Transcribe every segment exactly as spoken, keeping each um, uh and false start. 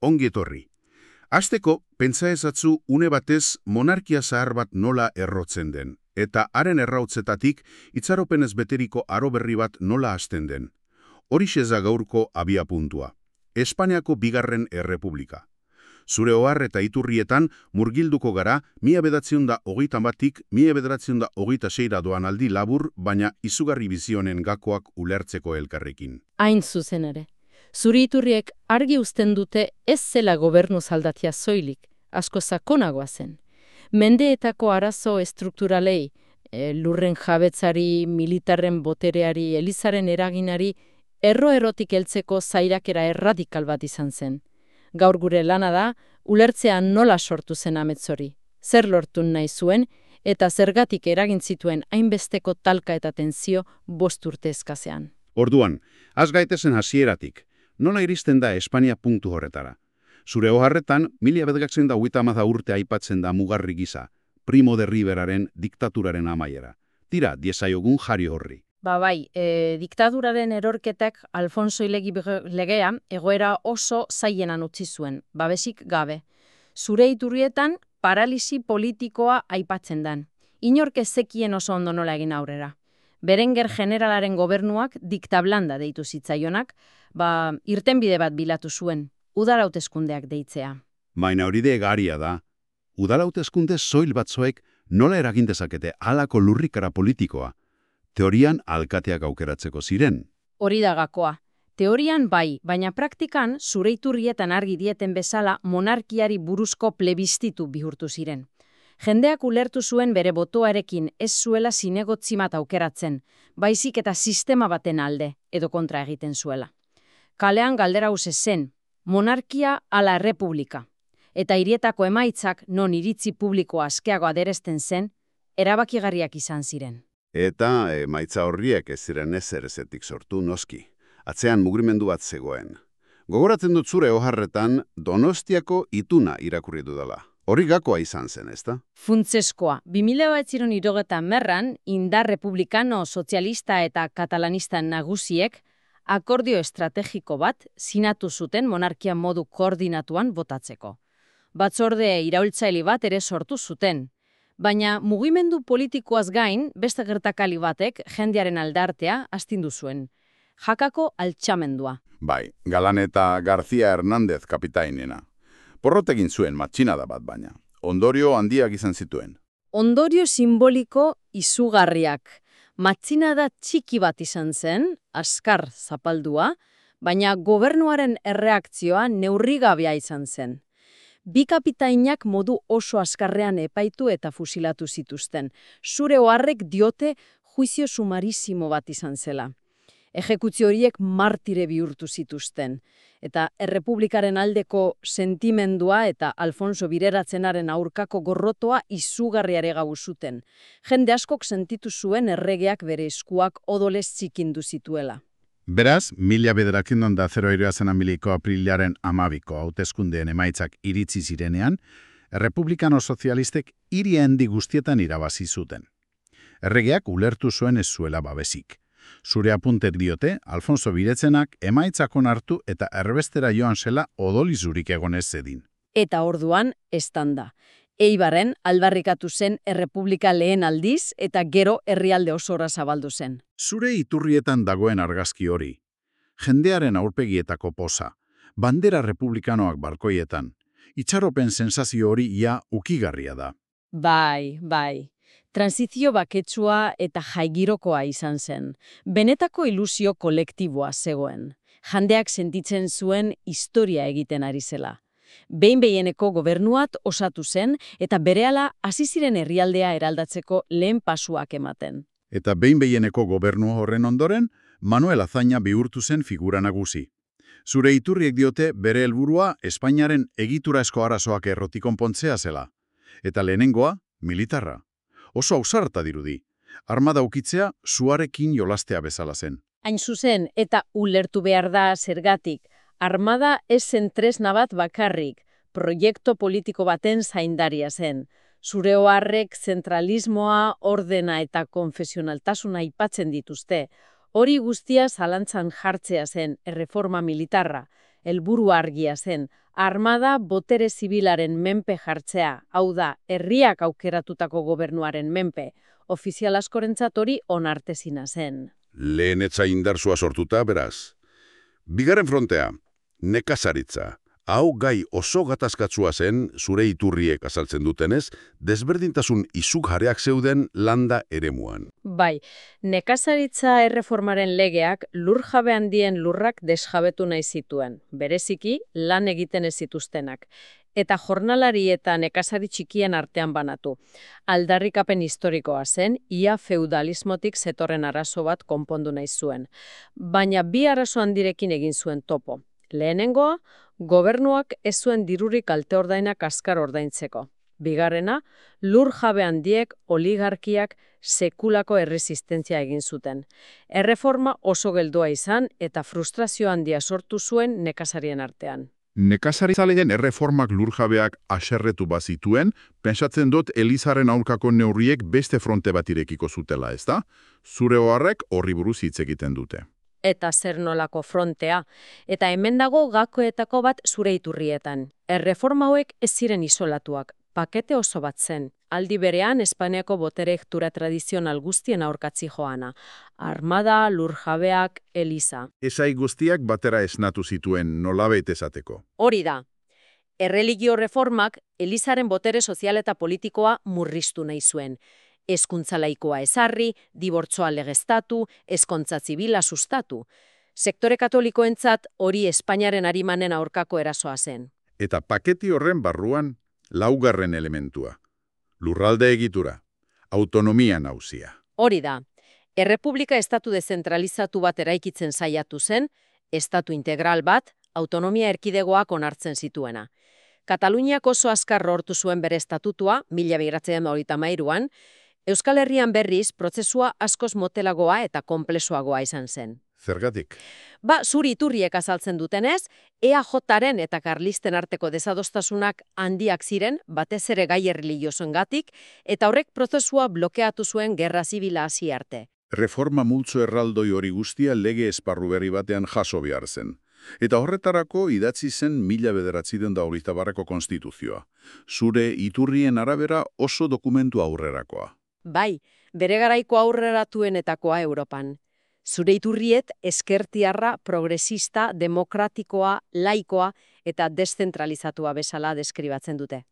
ongi etorri. Hasteko, pentsa ezatzu une batez monarkia zahar bat nola errotzen den, eta haren errautzetatik itxaropenez beteriko aro berri bat nola hasten den. Horixe da gaurko abia puntua. Espainiako bigarren errepublika. Zure ohar eta iturrietan murgilduko gara mila bederatziehun eta hogeita batik mila bederatziehun eta hogeita seira doan aldi labur, baina izugarri bizionen gakoak ulertzeko elkarrekin. Hain zuzen ere. Zuri iturriek argi uzten dute ez zela gobernu zaldatia zoilik, asko sakonagoa zen. Mendeetako arazo estrukturalei, e, lurren jabetzari, militarren botereari, elizaren eraginari, erro-erotik heltzeko zairakera erradikal bat izan zen. Gaur gure lana da, ulertzea nola sortu zen ametzori, zer lortu nahi zuen, eta zergatik eragin zituen hainbesteko talka eta tensio bost urte eskasean. Orduan, az gaitezen hasieratik, nola iristen da Espainia punktu horretara. Zure oharretan, mila bederatziehun eta hogeita hamar urte aipatzen da mugarri gisa, Primo de Riveraren diktaturaren amaiera. Tira, diezaiogun jari horri. Ba bai, e, diktaduraren erorketak Alfonso Ilegi legea egoera oso zailenan utzi zuen, babesik gabe. Zure iturrietan paralisi politikoa aipatzen dan. Inork ez zekien oso ondo nola egin aurrera. Berenger generalaren gobernuak diktablanda deitu zitzaionak, ba irtenbide bat bilatu zuen, udal hauteskundeak deitzea. Baina hori de egaria da. Udal hauteskunde soil batzuek nola eragin dezakete halako lurrikara politikoa. Teorian alkateak aukeratzeko ziren. Hori da gakoa. Teorian bai, baina praktikan zure iturrietan argi dieten bezala monarkiari buruzko plebistitu bihurtu ziren. Jendeak ulertu zuen bere botoarekin ez zuela zinegotzi bat aukeratzen, baizik eta sistema baten alde, edo kontra egiten zuela. Kalean galdera hauze zen, monarkia ala republika. Eta hirietako emaitzak non iritzi publiko askeago aderezten zen, erabakigarriak izan ziren. Eta emaitza horriek ez ziren ezer ezetik sortu noski. Atzean mugimendu bat zegoen. Gogoratzen dut zure oharretan Donostiako ituna irakurri dudala. Hori gakoa izan zen, ezta? Funtzeskoa. bi mila bederatziehun eta hirurogeita hamarran indar republikano, sozialista eta katalanista nagusiek akordio estrategiko bat sinatu zuten monarkia modu koordinatuan botatzeko. Batzorde iraultzaile bat ere sortu zuten. Baina mugimendu politikoaz gain, beste gertakali batek jendearen aldartea astindu zuen. Jakako altxamendua. Bai, Galan eta García Hernández kapitainena. Porrotegin zuen matxinada bat baina. Ondorio handiak izan zituen. Ondorio simboliko izugarriak. Matxinada txiki bat izan zen, askar zapaldua, baina gobernuaren erreakzioa neurrigabea izan zen. Bi kapitainak modu oso askarrean epaitu eta fusilatu zituzten. Zure oharrek diote juizio sumarisimo bat izan zela. Ejekuzio horiek martire bihurtu zituzten. Eta errepublikaren aldeko sentimendua eta Alfonso Bireratzenaren aurkako gorrotoa izugarriare gau zuten. Jende askok sentitu zuen erregeak bere eskuak odolez txikindu zituela. Beraz, mila bederatziehun eta hirurogeita hamaiko aprilaren hamabiko hauteskundeen emaitzak iritzi zirenean, errepublikano sozialistek hiri handi guztietan irabazi zuten. Erregeak ulertu zuen ez zuela babesik. Zure apuntek diote, Alfonso Biretzenak emaitzak onartu eta erbestera joan zela odolizurik egonez zedin. Eta orduan, estanda. Eibarren aldarrikatu zen errepublika lehen aldiz eta gero herrialde osora zabaldu zen. Zure iturrietan dagoen argazki hori. Jendearen aurpegietako poza, bandera republikanoak balkoietan, itxaropen sensazio hori ia ukigarria da. Bai, bai. Transizio baketsua eta jaigirokoa izan zen. Benetako ilusio kolektiboa zegoen. Jendeak sentitzen zuen historia egiten ari zela. Behin behieneko gobernuat osatu zen eta berehala hasi ziren herrialdea eraldatzeko lehen pasuak ematen. Eta behin behieneko gobernu horren ondoren, Manuel Azaña bihurtu zen figura nagusi. Zure iturriek diote bere helburua Espainiaren egiturasko arazoak errotik konpontzea zela. Eta lehenengoa, militarra. Oso ausarta dirudi. Armada ukitzea suarekin jolastea bezala zen. Hain zuzen, eta ulertu behar da zergatik. Armada ez zen tresna bat bakarrik, proiektu politiko baten zaindaria zen. Zure oharrek zentralismoa, ordena eta konfesionaltasuna aipatzen dituzte. Hori guztia zalantzan jartzea zen erreforma militarra, helburu argia zen, Armada botere zibilaren menpe jartzea, hau da, herriak aukeratutako gobernuaren menpe, ofizial askorentzat hori onartezina zen. Lehen etza indarsua sortuta, beraz. Bigarren frontea, nekazaritza. Hau gai oso gatazkatsua zen, zure iturriek azaltzen dutenez, desberdintasun izugarriak zeuden landa eremuan. Bai, nekazaritza erreformaren legeak lurjabe handien lurrak desjabetu nahi zituen, bereziki lan egiten ez zituztenak, eta jornalari eta nekazari txikien artean banatu. Aldarrikapen historikoa zen, ia feudalismotik zetorren arazo bat konpondu nahi zuen. Baina bi arazo handirekin egin zuen topo. Lehenengoa, gobernuak ez zuen dirurik kalte ordainak azkar ordaintzeko. Bigarrena, lur jabe handiek, oligarkiak, sekulako erresistentzia egin zuten. Erreforma oso geldua izan eta frustrazio handia sortu zuen nekazarien artean. Nekazaritzaleen erreformak lurjabeak aserretu bazituen, pentsatzen dut Elizaren aurkako neurriek beste fronte bat irekiko zutela, ezta? Zure oharrek horri buruz hitz egiten dute. Eta zer nolako frontea, eta hemen dago gakoetako bat zure iturrietan. Erreforma hauek ez ziren isolatuak, pakete oso bat zen. Aldi berean Espainiako botere hektura tradizional guztien aurkatzi joana. Armada, lurjabeak, Eliza. Esai guztiak batera esnatu zituen nolabait esateko. Hori da. Erreligio reformak Elizaren botere sozial eta politikoa murriztu nahi zuen. Hezkuntza laikoa ezarri, dibortzoa legeztatu, ezkontza zibila sustatu. Sektore katolikoentzat hori Espainiaren arimanen aurkako erasoa zen. Eta paketi horren barruan laugarren elementua. Lurralde egitura, autonomia nauzia. Hori da. Errepublika estatu dezentralizatu bat eraikitzen saiatu zen, estatu integral bat, autonomia erkidegoak onartzen zituena. Kataluniak oso azkar lortu zuen bere estatutua, mila bederatziehun eta hogeita hamairuan, Euskal Herrian berriz prozesua askoz motelagoa eta konplexuagoa izan zen. Zergatik? Ba, zuri iturriek azaltzen dutenez, E A Jaren eta karlisten arteko desadostasunak handiak ziren, batez ere gai erlijiosoengatik, eta horrek prozesua blokeatu zuen gerra zibila hasi arte. Reforma multzo erraldoi hori guztia lege esparru berri batean jaso behar zen. Eta horretarako idatzi zen mila bederatziehun eta hogeita bateko konstituzioa. Zure iturrien arabera oso dokumentu aurrerakoa. Bai, bere garaiko aurreratuenetakoa Europan. Zure iturriet ezkertiarra, progresista, demokratikoa, laikoa eta deszentralizatua bezala deskribatzen dute.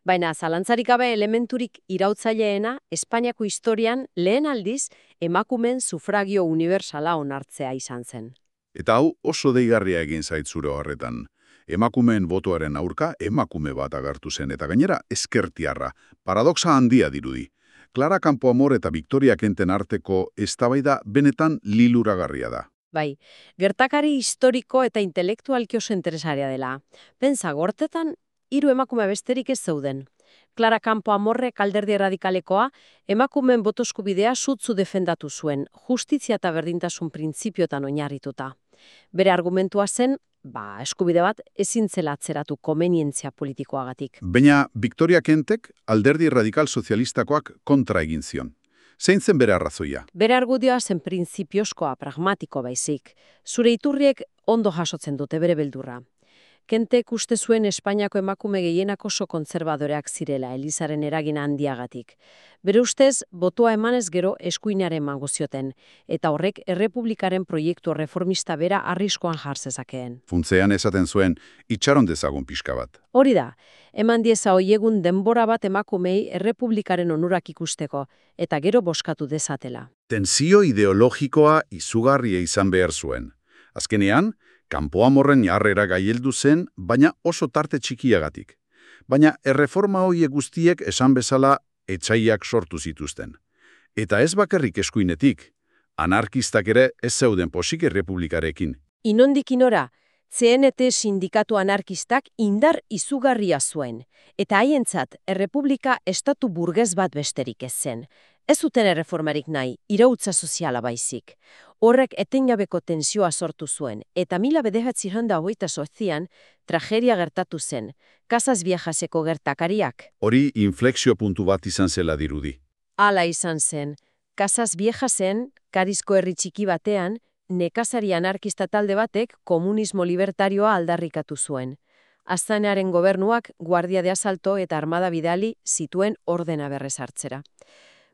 Baina zalantzarik gabe elementurik irauttzaileena Espainiako historian lehen aldiz emakumeen sufragio unibertsala onartzea izan zen. Eta hau oso deigarria egin zait zure horretan. Emakumeen botoaren aurka emakume bat agertu zen eta gainera ezkertiarra, paradoxa handia dirudi. Clara Campoamor eta Victoria Kenten arteko eztabaida benetan liluragarria da. Bai, gertakari historiko eta intelektualki oso interesaria dela. Pentsa, gortetan hiru emakume besterik ez zeuden. Clara Campoamorrek alderdi erradikalekoa, emakumeen boto eskubidea sutzu defendatu zuen, justizia eta berdintasun printzipiotan oinarrituta. Bere argumentua zen, ba, eskubide bat ezin zela atzeratu komenientzia politikoagatik. Baina Victoria Kentek alderdi radikal sozialistakoak kontra egin zion. Zein zen bere arrazoia? Bere argudioa zen printzipioskoa, pragmatiko baizik. Zure iturriek ondo jasotzen dute bere beldurra. Kentek uste zuen Espainiako emakume gehienak oso kontserbadoreak zirela Elizaren eragin handiagatik. Bere ustez, botoa emanez gero eskuinaren emango zioten, eta horrek errepublikaren proiektu reformista bera arriskoan jar zezakeen. Funtzean esaten zuen, itxaron dezagun pixka bat. Hori da, eman dieza hoiegun denbora bat emakumei errepublikaren onurak ikusteko, eta gero boskatu dezatela. Tensio ideologikoa izugarria izan behar zuen. Azkenean, Campoamorren jarrera gaieldu zen, baina oso tarte txikiagatik. Baina erreforma horiek guztiek esan bezala etsaiak sortu zituzten. Eta ez bakarrik eskuinetik, anarkistak ere ez zeuden posik errepublikarekin. Inondik inora, C N T sindikatu anarkistak indar izugarria zuen, eta haientzat errepublika estatu burgez bat besterik ez zen. Ez zuten erreformarik nahi, irautza soziala baizik. Horrek etengabeko tensioa sortu zuen, eta mila bederatziehun eta hogeita zortzian tragedia gertatu zen, Casas Viejaseko gertakariak. Hori inflexio puntu bat izan zela dirudi. Hala izan zen, Casas Viejasen, Karizko herri txiki batean, nekazari anarkista talde batek komunismo libertarioa aldarrikatu zuen. Aztanaren gobernuak guardia de asalto eta armada bidali zituen ordena berrezartzera.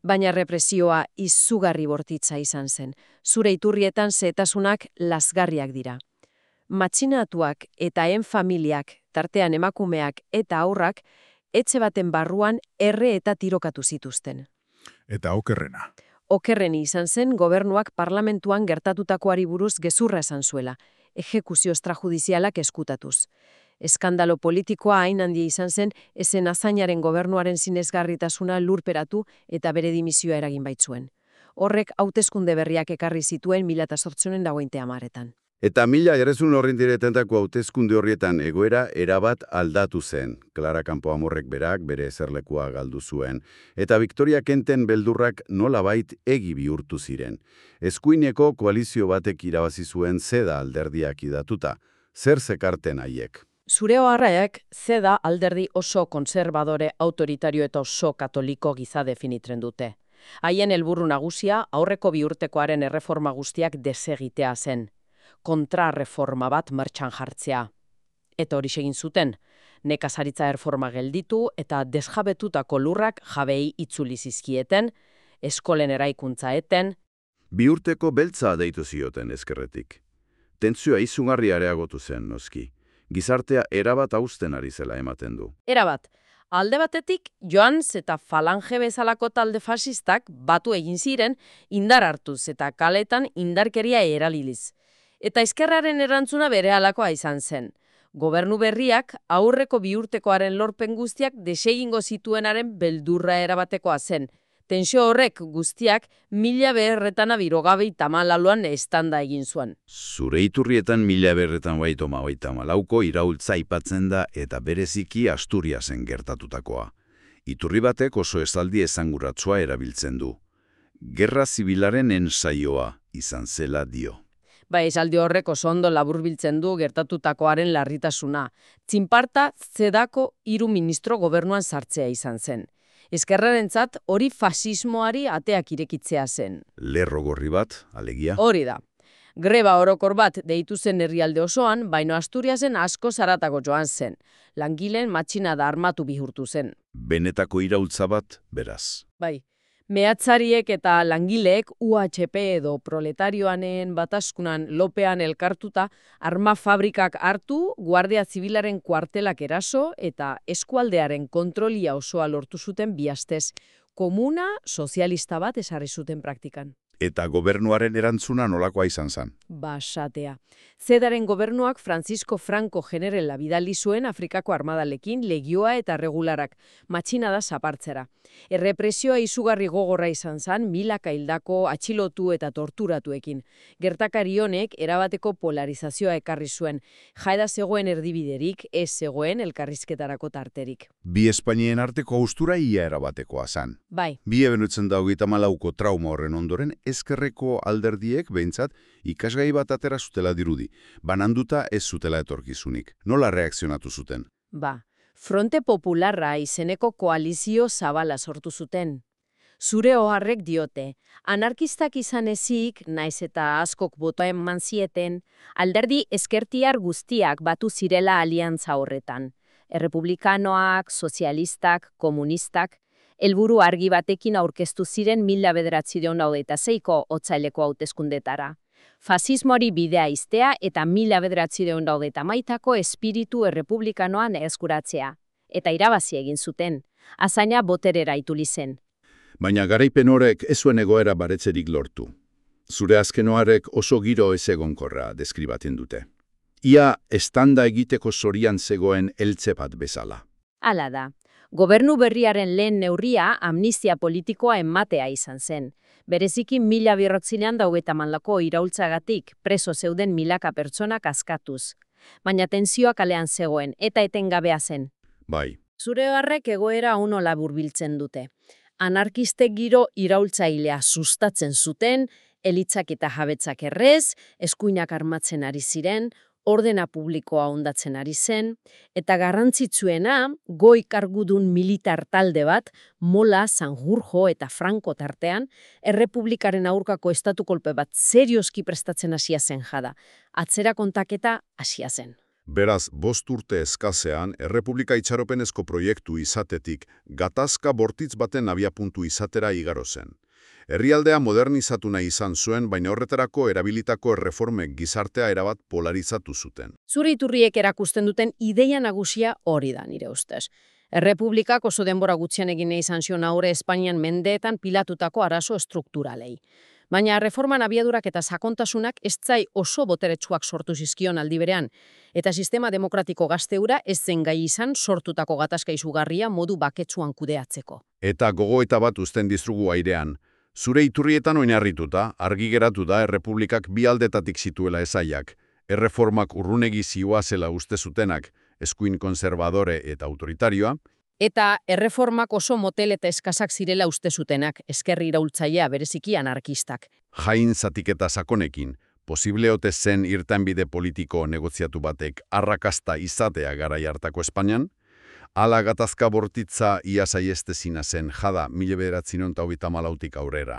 Baina represioa izugarri bortitza izan zen. Zure iturrietan zehetasunak lazgarriak dira. Matxinatuak eta en familiak, tartean emakumeak eta aurrak, etxe baten barruan erre eta tirokatu zituzten. Eta okerrena. Okerreni izan zen gobernuak parlamentuan gertatutakoari buruz gezurra esan zuela, ejekuzio extrajudizialak eskutatuz. Eskandalo politikoa hain handia izan zen, ezen Azañaren gobernuaren sinesgarritasuna lurperatu eta bere dimisioa eragin baitzuen. Horrek hauteskunde berriak ekarri zituen mila zortziehun eta hogeita hamaretan. Eta mila errezun horrin diretentako hauteskunde horrietan egoera erabat aldatu zen. Clara Campoamorrek berak bere ezerlekua galdu zuen. Eta Victoria Kenten beldurrak nolabait egi bihurtu ziren. Eskuineko koalizio batek irabazi zuen zeda alderdiak idatuta. Zer zekarten haiek? Zure oharraek zeda alderdi oso konservadore, autoritario eta oso katoliko giza definitren dute. Haien helburu nagusia aurreko bi urtekoaren erreforma guztiak desegitea zen. Kontrarreforma bat martxan jartzea. Eta hori egin zuten, nekazaritza erreforma gelditu eta desjabetutako lurrak jabei itzuli zizkieten, eskolen eraikuntza eten. Bi urteko beltza deitu zioten ezkerretik. Tentsioa izugarri areagotu zen, noski. Gizartea erabat hausten ari zela ematen du. Erabat, alde batetik Joans eta Falange bezalako talde fasistak batu egin ziren indar hartuz eta kaletan indarkeria eraliliz. Eta ezkerraren erantzuna berehalakoa izan zen. Gobernu berriak aurreko bi urtekoaren lorpen guztiak desegingo zituenaren beldurra erabatekoa zen. Tensio horrek guztiak mila beherretan abirogabei tamalaluan estanda egin zuen. Zure iturrietan mila beherretan baitoma baita malauko iraultza aipatzen da eta bereziki Asturiasen gertatutakoa. Iturri batek oso esaldi esanguratsua erabiltzen du. Gerra zibilaren ensaioa izan zela dio. Ba, esaldi horrek oso ondo laburbiltzen du gertatutakoaren larritasuna. Txinparta zedako hiru ministro gobernuan sartzea izan zen. Ezkerrarentzat hori fasismoari ateak irekitzea zen. Lerro gorri bat, alegia. Hori da. Greba orokor bat deitu zen herrialde osoan, baino Asturiasen asko zaratago joan zen. Langileen matxinada armatu bihurtu zen. Benetako iraultza bat, beraz. Bai. Mehatzariek eta langileek U H P edo proletarioanen bataskunan lopean elkartuta arma fabrikak hartu, guardia zibilaren kuartelak eraso eta eskualdearen kontrolia osoa lortu zuten bi astez. Komuna sozialista bat ezarri zuten praktikan. Eta gobernuaren erantzuna nolakoa izan zen? Basatea. Zedaren gobernuak Francisco Franco generela bidali zuen Afrikako armadalekin legioa eta regularak, matxinada zapartzera. Errepresioa izugarri gogorra izan zen milaka hildako atxilotu eta torturatuekin. Gertakari honek erabateko polarizazioa ekarri zuen. Jaeda zegoen erdibiderik, ez zegoen elkarrizketarako tarterik. Bi Espainien arteko haustura ia erabatekoa zen. Bai. Bi ebenutzen da hogeita hamalauko trauma horren ondoren, ezkerreko alderdiek behintzat ikasgai bat atera zutela dirudi, bananduta ez zutela etorkizunik. Nola reakzionatu zuten? Ba, Fronte Popularra izeneko koalizio zabala sortu zuten. Zure oharrek diote, anarkistak izan ezik, naiz eta askok botoa eman zieten, alderdi ezkertiar guztiak batu zirela aliantza horretan. Errepublikanoak, sozialistak, komunistak, helburu argi batekin aurkeztu ziren mila bederatziehun eta hogeita seiko otsaileko hauteskundetara. Fasismoari bidea iztea eta mila bederatziehun eta hogeita hamaikako espiritu errepublikanoan eskuratzea. Eta irabazi egin zuten. Azaña boterera ituli zen. Baina garaipen horrek ez zuen egoera baretzerik lortu. Zure azkenoarek oso giro ez egonkorra deskribatzen dute. Ia estanda egiteko zorian zegoen eltze bat bezala. Hala da. Gobernu berriaren lehen neurria amnistia politikoa ematea izan zen. Bereziki mila birrotzilean daugeita manlako iraultzagatik preso zeuden milaka pertsonak askatuz. Baina tentsioa kalean zegoen eta etengabea zen. Bai. Zure harrek egoera uno laburbiltzen dute. Anarkistek giro iraultzailea sustatzen zuten, elitzak eta jabetzak errez, eskuinak armatzen ari ziren, ordena publikoa hondatzen ari zen, eta garrantzitsuena goi kargudun militar talde bat, Mola, Sanjurjo eta Franco tartean, errepublikaren aurkako estatu kolpe bat serioski prestatzen hasia zen jada. Atzera kontaketa hasia zen. Beraz, bost urte eskazean, Errepublika itxaropenezko proiektu izatetik gatazka bortitz baten abiapuntu izatera igaro zen. Herrialdea modernizatu nahi izan zuen, baina horretarako erabilitako erreformek gizartea erabat polarizatu zuten. Zure iturriek erakusten duten ideia nagusia hori da, nire ustez. Errepublikak oso denbora gutxian egin nahi izan zion aurre Espainian mendeetan pilatutako arazo estrukturalei. Baina reforman abiadurak eta sakontasunak ez zai oso boteretsuak sortu zizkion aldi berean, eta sistema demokratiko gazteura ez zen gai izan sortutako gatazka izugarria modu baketsuan kudeatzeko. Eta gogoeta bat uzten dizugu airean. Zure iturrietan oinarrituta, argi geratu da Errepublikak bi aldetatik zituela esaiak, erreformak urrunegi zioa zela uste zutenak, eskuin konservadore eta autoritarioa, eta erreformak oso motel eta eskasak zirela uste zutenak, eskerri iraultzailea bereziki anarkistak. jain zatiketa sakonekin, posible ote zen irtenbide politiko negoziatu batek arrakasta izatea garai hartako Espainian, ala gatazka bortitza ia saiestezina zen jada mila bederatziehun eta hogeita hamalautik aurrera.